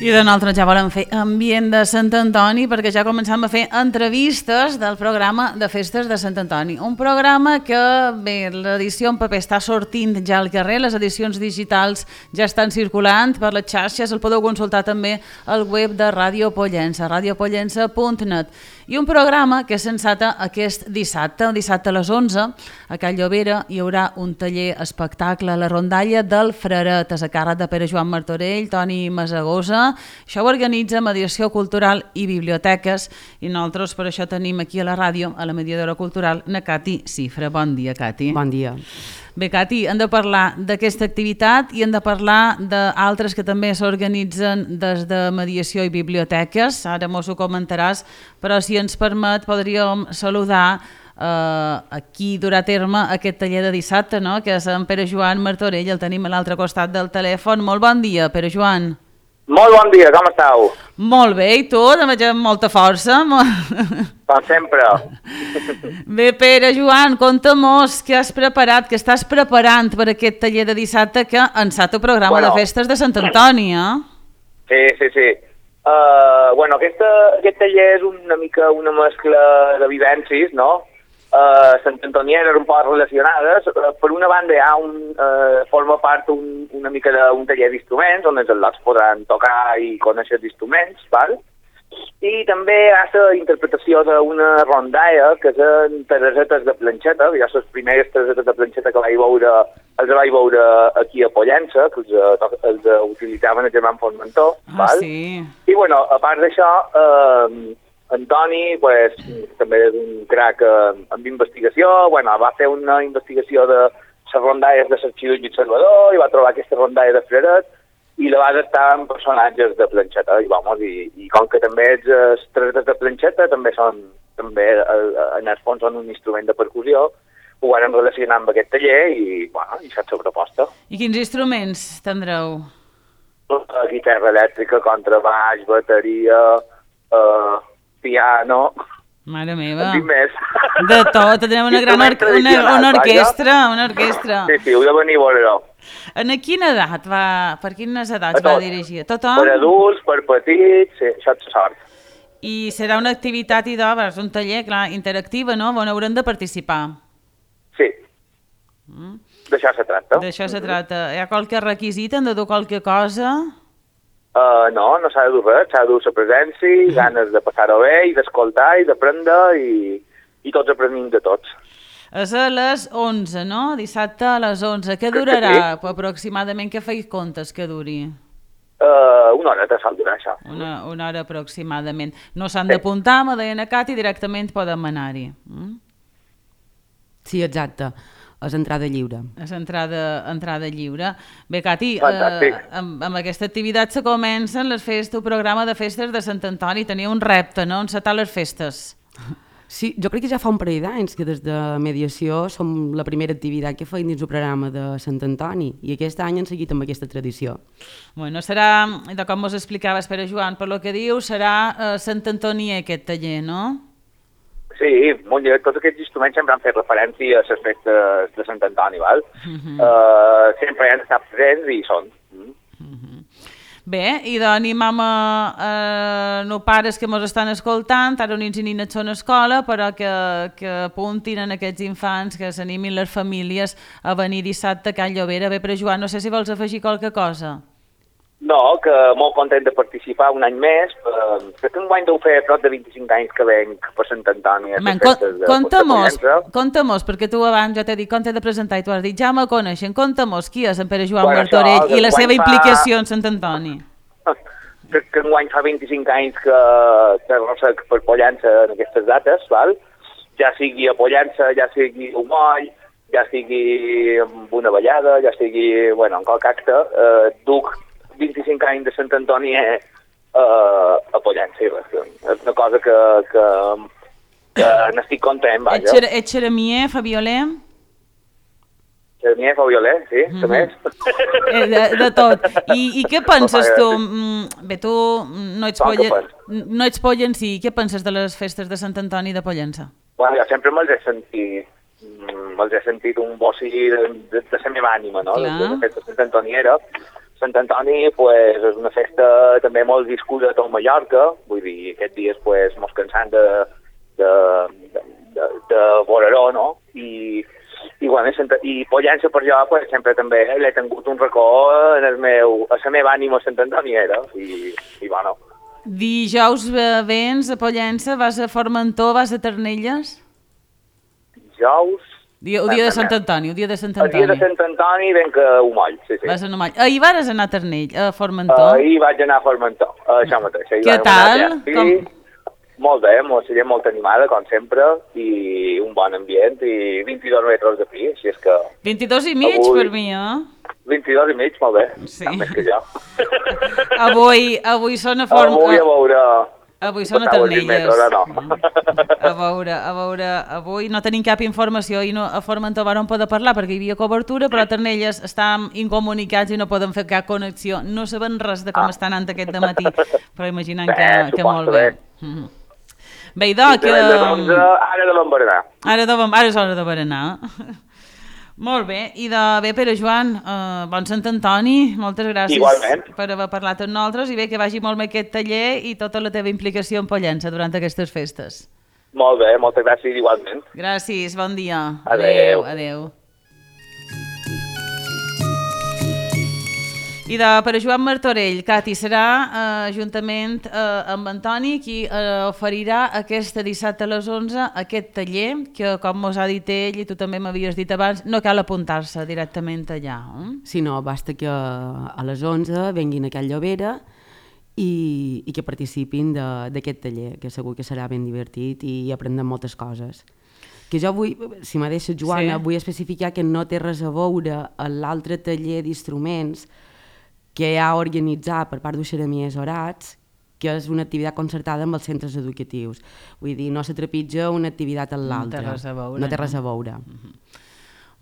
I de nosaltres ja volem fer ambient de Sant Antoni perquè ja començam a fer entrevistes del programa de Festes de Sant Antoni. Un programa que, bé, l'edició en paper està sortint ja al carrer, les edicions digitals ja estan circulant per les xarxes, el podeu consultar també al web de Ràdio Pollença, radiopollença.net. I un programa que s'enceta aquest dissabte, el dissabte a les 11, a Cal Llobera hi haurà un taller espectacle, la rondalla del Fraret, a càrrec de Pere Joan Martorell, Toni Masagosa. Això ho organitza Mediació Cultural i Biblioteques i nosaltres per això tenim aquí a la ràdio, a la mediadora cultural, na Cati Cifra. Bon dia, Cati. Bon dia. Bé, Cati, hem de parlar d'aquesta activitat i hem de parlar d'altres que també s'organitzen des de Mediació i Biblioteques. Ara mos ho comentaràs, però si ens permet podríem saludar aquí durà a terme aquest taller de dissabte, no? Que és en Pere Joan Martorell, el tenim a l'altre costat del telèfon. Molt bon dia, Pere Joan. Molt bon dia, com estàu? Molt bé, i tu? Te veig amb molta força. Com sempre. Bé, Pere Joan, conta-mos què has preparat, què estàs preparant per aquest taller de dissabte que enceta el programa de Festes de Sant Antoni, eh? Sí. Aquest taller és una mica una mescla de vivències, no? Sant Antonieres un poc relacionades. Per una banda hi ha forma part una mica d'un taller d'instruments on els al·lots podran tocar i conèixer els instruments, val? I també hi ha la interpretació d'una rondalla que són terresetes de planxeta, ja són les primeres terresetes de planxeta que els vaig veure aquí a Pollença, que els utilitzaven el germà Formentor, val? Sí. I bueno, a part d'això, Antoni pues, també és un crac amb investigació, va fer una investigació de les rondalles de l'Arxiu de Salvador i va trobar aquesta rondalla de Fraret i la va adaptar en personatges de planxeta i com que també els tretes de planxeta també en el fons són un instrument de percussió, ho van relacionar amb aquest taller i això és la proposta. I quins instruments tindreu? Guitarra elèctrica, contrabaix, bateria, piano. Mare meva. En tinc més. De tot, tenim una orquestra. Sí, heu de venir a veure-ho. En quina edat per quines edats va dirigir? Tothom? Per adults, per petits, sí, això és sort. I serà una activitat és un taller, clar, interactiva, no? On haurem de participar. Sí. D'això se tracta. D'això se tracta. Hi ha qualque requisit? Hem de dur qualque cosa? No s'ha de dur res, s'ha de dur la presència, ganes de passar-ho bé i d'escoltar i d'aprendre i tots aprenem de tots. És a les 11, no? Dissabte a les 11. Què durarà aproximadament? Què feis comptes que duri? Una hora de sol durar això. Una hora aproximadament. No s'han d'apuntar, me deien a Cati, directament podem anar-hi. Sí, exacte. És entrada lliure. És entrada lliure. Bé, Cati, amb aquesta activitat se comencen les festes, el programa de Festes de Sant Antoni. Tenia un repte, no?, encetar les festes. Sí, jo crec que ja fa un parell d'anys que des de Mediació som la primera activitat que feim dins el programa de Sant Antoni i aquest any han seguit amb aquesta tradició. Bueno, serà, com us explicaves, Pere Joan, per lo que diu, serà Sant Antoni aquest taller, no? Sí, molt bé. Tots aquests instruments sempre han fet referència a les festes de Sant Antoni, val? Sempre hi han estat presents i hi són. Bé, i d'animam a no pares que ens estan escoltant, ara nins i nines són a escola, però que apuntin en aquests infants, que s'animin les famílies a venir dissabte a Cal Llobera. Bé, però Joan, no sé si vols afegir qualque cosa. No, que molt content de participar un any més. Crec que enguany deu fer prop de 25 anys que venc per Sant Antoni. Conta-mos, perquè tu abans jo t'he dit com t'he de presentar i tu has dit ja me coneixen, conta-mos qui és en Pere Joan Martorell i la seva implicació en Sant Antoni. Crec que enguany fa 25 anys que arrossec per Pollença en aquestes dates, val? Ja sigui a Pollença, ja sigui a Moll, ja sigui amb una ballada, ja sigui, bueno, en qualque acte, duc 25 anys de Sant Antoni a Pollença. És una cosa que n'estic content, vaja. Ets xeremier, fa violer? Xeremier, fa violer, sí, també. De tot. I què penses tu? Bé, tu no ets pollencí, què penses de les festes de Sant Antoni de Pollença? Bueno, jo sempre me'ls he sentit un bocí de la meva ànima, no? La festa de Sant Antoni era. Sant Antoni pues, és una festa també molt viscuda a tot Mallorca, vull dir, aquests dies pues, mos cansant de Boraró, no? I Pollença per jo pues, sempre també l'he tingut un racó a la meva ànima Sant Antoniera i bueno. Dijous vens a Pollença, vas a Formentor, vas a Ternelles? Dijous... El dia de Sant Antoni. El dia de Sant Antoni venc a Umoll, sí. Vas a Umoll. Ahir vas anar a Ternell, a Formentor? Ahir vaig anar a Formentor, això mateix. Què tal? Molt bé, gent molt animada, com sempre, i un bon ambient, i 22 metres de pi, així és que... 22 i mig per mi, 22 i mig, molt bé, més que jo. Avui són a Formentor. Avui són a Ternelles. A veure, avui no tenim cap informació i a Formentor vàrem poder parlar perquè hi havia cobertura, però a Ternelles estàvem incomunicats i no podem fer cap connexió. No sabem res de com està anant aquest dematí, però imaginem que molt bé. Bé, idò, que... Ara devem berenar. Ara és hora de berenar. Molt bé, i bé, Pere Joan, bon Sant Antoni, moltes gràcies per haver parlat amb nosaltres i bé, que vagi molt bé aquest taller i tota la teva implicació en Pollença durant aquestes festes. Molt bé, moltes gràcies igualment. Gràcies, bon dia. Adéu. I per Joan Martorell, Cati, serà juntament amb Antoni qui oferirà aquest dissabte a les 11 aquest taller, que com mos ha dit ell i tu també m'havies dit abans, no cal apuntar-se directament allà. Sí, no, basta que a les 11 venguin a Can Llobera i que participin d'aquest taller, que segur que serà ben divertit i aprendrem moltes coses. Que jo vull, si m'ha deixat Joana, vull especificar que no té res a veure amb l'altre taller d'instruments que ha organitzat per part d'Uixeramiers Orats, que és una activitat concertada amb els centres educatius. Vull dir, no se trepitja una activitat amb l'altra. No té res a veure.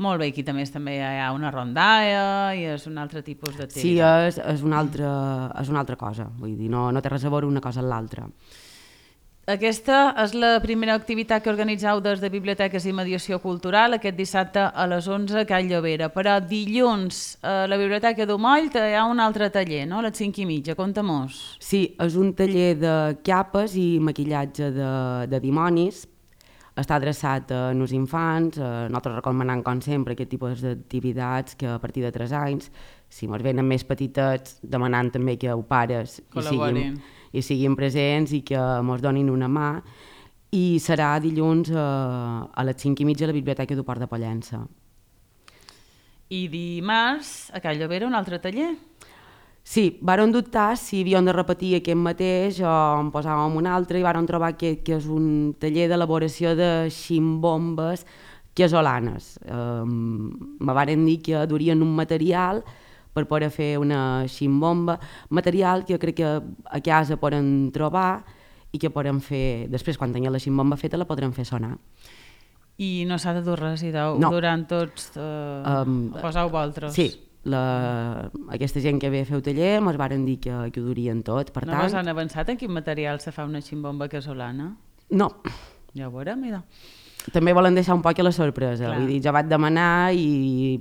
Molt bé, aquí també hi ha una rondalla i és un altre tipus d'activitat. Sí, és una altra cosa. Vull dir, no té res a veure una cosa amb l'altra. Aquesta és la primera activitat que organitzeu des de Biblioteques i Mediació Cultural aquest dissabte a les 11 a Can Llobera. Però dilluns a la Biblioteca d'Umoll hi ha un altre taller, no? A les 5:30, conta-mos. Sí, és un taller de capes i maquillatge de dimonis. Està adreçat a nos infants, nosaltres recomanem com sempre aquest tipus d'activitats que a partir de 3 anys, si ens venen més petitets, demanant també que els pares hi siguin presents i que ens donin una mà, i serà dilluns a les 5:30 a la Biblioteca del Port de Pollença. I dimarts a Can Llobera un altre taller? Sí, vàrem dubtar si havíem de repetir aquest mateix o en posàvem un altre i vàrem trobar que és un taller d'elaboració de ximbombes casolanes. Me varen dir que durien un material per poder fer una ximbomba, material que crec que a casa podem trobar i que podem fer, després quan tinguem la ximbomba feta la podrem fer sonar. I no s'ha de dur res, durant tots poseu vosaltres? Sí, aquesta gent que ve a fer el taller ens varen dir que ho durien tot. Per no han avançat en quin material se fa una ximbomba casolana? No. Ja ho veurem, mira. També volen deixar un poc a la sorpresa, vull dir, ja vaig demanar i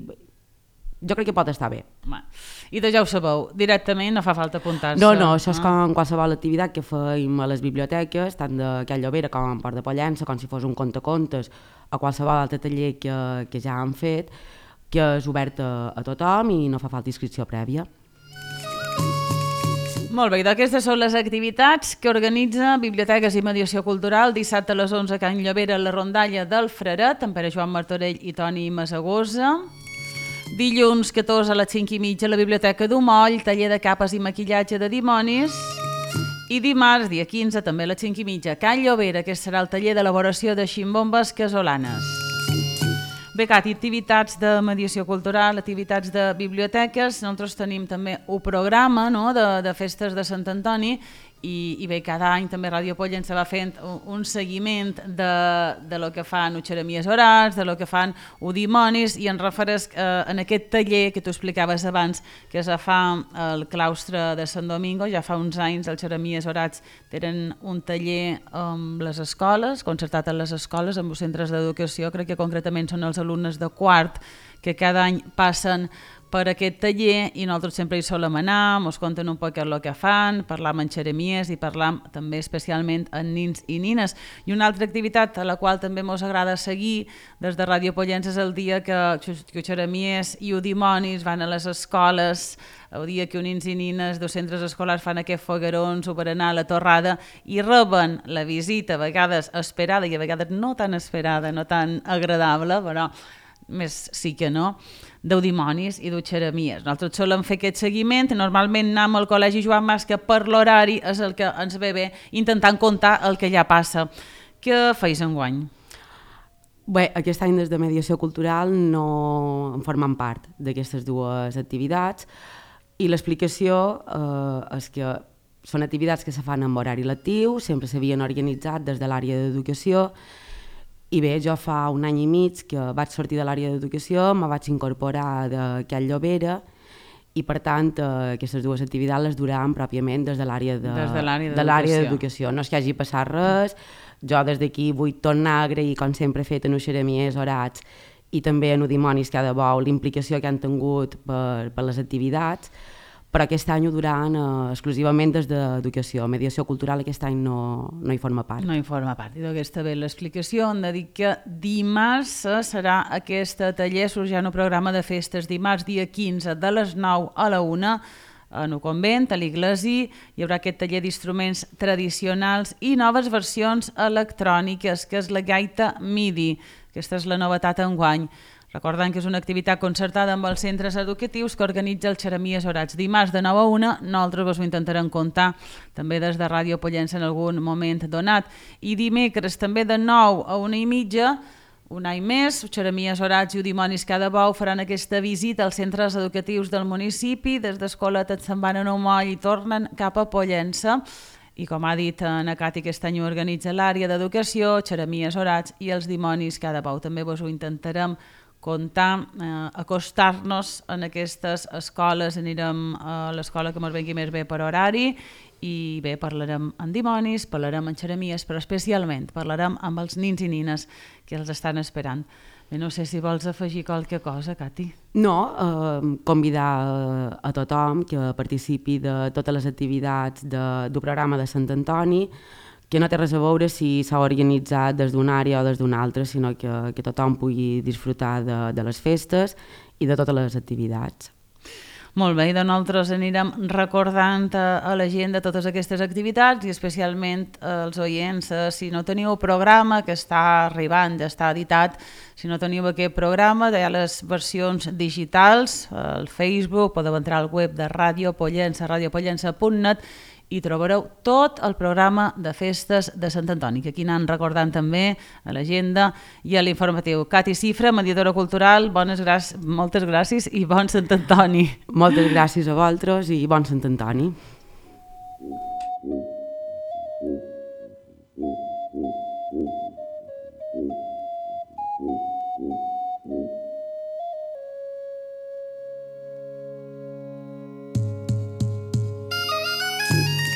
jo crec que pot estar bé. I ja ho sabeu, directament no fa falta apuntar-se? No, això és com qualsevol activitat que fem a les biblioteques, tant de Can Llobera com en Port de Pollença, com si fos un contacontes o qualsevol altre taller que ja han fet, que és obert a tothom i no fa falta inscripció prèvia. Molt bé, i d'aquestes són les activitats que organitza Biblioteques i Mediació Cultural dissabte a les 11 a Can Llovera a la rondalla del Freret, amb Pere Joan Martorell i Toni Masagosa. Dilluns 14 a les 5:30 a la Biblioteca d'Umoll, taller de capes i maquillatge de dimonis. I dimarts, dia 15, també a les 5:30 a Can Llovera, que serà el taller d'elaboració de ximbombes casolanes. Bé, Cati, activitats de mediació cultural, activitats de biblioteques. Nosaltres tenim també un programa, no?, de festes de Sant Antoni i bé, cada any també Ràdio Pollença va fent un seguiment de lo que fan Xeremies Orats, de lo que fan Udimonis, i en refereix en aquest taller que tu explicaves abans, que es fa al claustre de Sant Domingo. Ja fa uns anys els Xeremies Orats tenen un taller amb les escoles, concertat en les escoles, amb els centres d'educació. Crec que concretament són els alumnes de quart que cada any passen per aquest taller i nosaltres sempre hi solem anar, ens conten un poc el que fan, parlam amb xeremies i parlam també especialment amb nins i nines. I una altra activitat a la qual també ens agrada seguir des de Ràdio Pollença és el dia que xeremies i udimonis van a les escoles, el dia que nins i nines dels centres escolars fan aquests foguerons o per anar a la torrada i reben la visita, a vegades esperada i a vegades no tan esperada, no tan agradable, però més sí que no, d'Udimonis i d'Xeremies. Nosaltres solem fer aquest seguiment, normalment anem al Col·legi Joan Mas, que per l'horari és el que ens ve bé, intentant comptar el que ja passa. Què feis enguany? Bé, aquest any des de Mediació Cultural no en formem part d'aquestes dues activitats i l'explicació és que són activitats que se fan amb horari lectiu, sempre s'havien organitzat des de l'àrea d'educació. I bé, jo fa un any i mig que vaig sortir de l'àrea d'educació, me vaig incorporar de Can Llovera i per tant aquestes dues activitats les duràvem pròpiament des de l'àrea d'educació. No és que hagi passat res, jo des d'aquí vull tornar a agrair, com sempre he fet en Xeremies Orats i també en Udimonis cada bou, l'implicació que han tingut per les activitats, però aquest any ho duran exclusivament des d'educació. Mediació cultural aquest any no hi forma part. No hi forma part. I d'aquesta ve l'explicació. Hem de dir que dimarts serà aquest taller, sorgint un programa de festes. Dimarts, dia 15, de les 9 a la 1, en el convent, a l'Iglesi, hi haurà aquest taller d'instruments tradicionals i noves versions electròniques, que és la gaita MIDI. Aquesta és la novetat enguany. Recordant que és una activitat concertada amb els centres educatius que organitza el Xeremies Orats. Dimarts de 9 a 1, nosaltres ho intentarem comptar també des de Ràdio Pollença en algun moment donat. I dimecres també de 9 a 1:30, un any més, Xeremies Orats i Udimonis cada bou faran aquesta visita als centres educatius del municipi. Des d'Escoletes se'n van a Umoll i tornen cap a Pollença. I com ha dit na Cati, aquest any ho organitza l'àrea d'educació, Xeremies Orats i els Dimonis cada bou. També vos ho intentarem comptar, acostar-nos en aquestes escoles. Anirem a l'escola que ens vengui més bé per horari i bé, parlarem amb dimonis, parlarem amb xeremies, però especialment parlarem amb els nins i nines que els estan esperant. Bé, no sé si vols afegir qualque cosa, Cati. No, convidar a tothom que participi de totes les activitats del programa de Sant Antoni, que no té res a veure si s'ha organitzat des d'una àrea o des d'una altra, sinó que tothom pugui disfrutar de les festes i de totes les activitats. Molt bé, i nosaltres anirem recordant a la gent de totes aquestes activitats i especialment als oients, si no teniu programa que està arribant, ja està editat, si no teniu aquest programa, hi ha les versions digitals, al Facebook, podeu entrar al web de Ràdio Pollença, radiopollença.net, i trobareu tot el programa de festes de Sant Antoni, que aquí anem recordant també a l'agenda i a l'informatiu. Cati Cifra, mediadora cultural, moltes gràcies i bon Sant Antoni. Moltes gràcies a vosaltres i bon Sant Antoni.